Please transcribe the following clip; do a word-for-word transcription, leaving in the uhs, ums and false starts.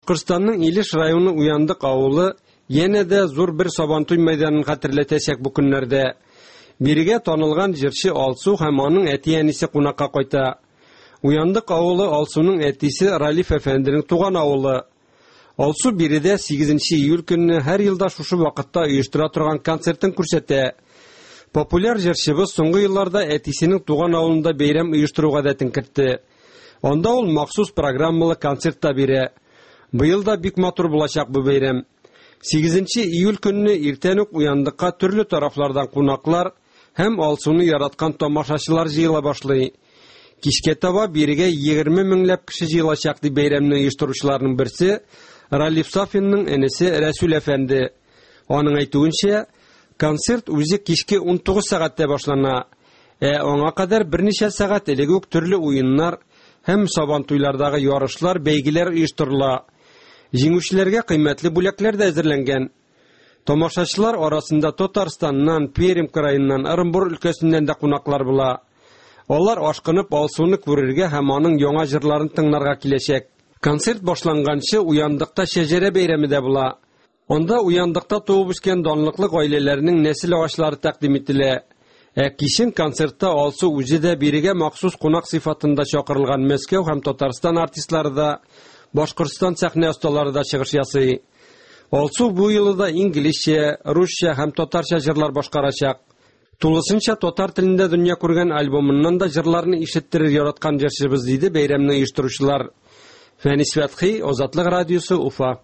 Башкортстанның Илеш районы Уяндык авылы янә дә зур бер Сабантуй мәйданын хәтерләтәчәк бу көннәрдә. Бирегә танылган җырчы Алсу һәм аның әти-әнисе кунакка кайта. Уяндык авылы Алсуның әтисе Ралиф әфәнденең туган авылы. Алсу биредә сигезенче июль көнне һәр елда шушы вакытта оештыра торган концертын күрсәтә. Популяр җырчыбыз соңгы елларда әтисенең туган авылында бәйрәм оештыру гадәтен кертте. Анда ул махсус программалы концерт та бирә. Быел да бик матур булачак бу бәйрәм. Сигезенче июль көнне иртән үк Уяндыкка төрле тарафлардан кунаклар һәм Алсуны яраткан тамашачылар җыела башлый. Кичкә таба бирегә егерме меңләп кеше җыелачак дип бәйрәмне оештыручыларның берсе Ралиф Сафинның энесе Рәсүл әфәнде. Аның әйтүенчә, концерт үзе кичке ун тугыз сәгатьтә башлана. Ә аңа кадәр берничә сәгать элек үк төрле уеннар һәм сабантуйлардагы ярышлар, бәйгеләр оештырыла. Җиңүчеләргә кыйммәтле бүләкләр дә әзерләнгән. Тамашачылар арасында Татарстаннан, Пермь краеннан, Ырынбур өлкәсеннән дә кунаклар була. Алар ашкынып Алсуны күрергә һәм аның яңа җырларын тыңларга киләчәк. Концерт башланганчы Уяндыкта шәҗәрә бәйрәме дә була. Анда Уяндыкта туып үскән данлыклы гаиләләрнең нәсел агачлары тәкъдим ителә. Ә кичен концертта Алсу үзе дә бирегә махсус кунак сыйфатында чакырылган Мәскәү һәм Татарстан артистлары да, Башкортстан сәхнә осталары да чыгыш ясый. Алсу бу юлы да инглизчә, русча һәм татарча җырлар башкарачак. Тулысынча татар телендә дөнья күргән альбомыннан да җырларны ишеттерер яраткан җырчыбыз, диде бәйрәмне оештыручылар. Фәнис Фәтхи, Азатлык радиосы, Уфа.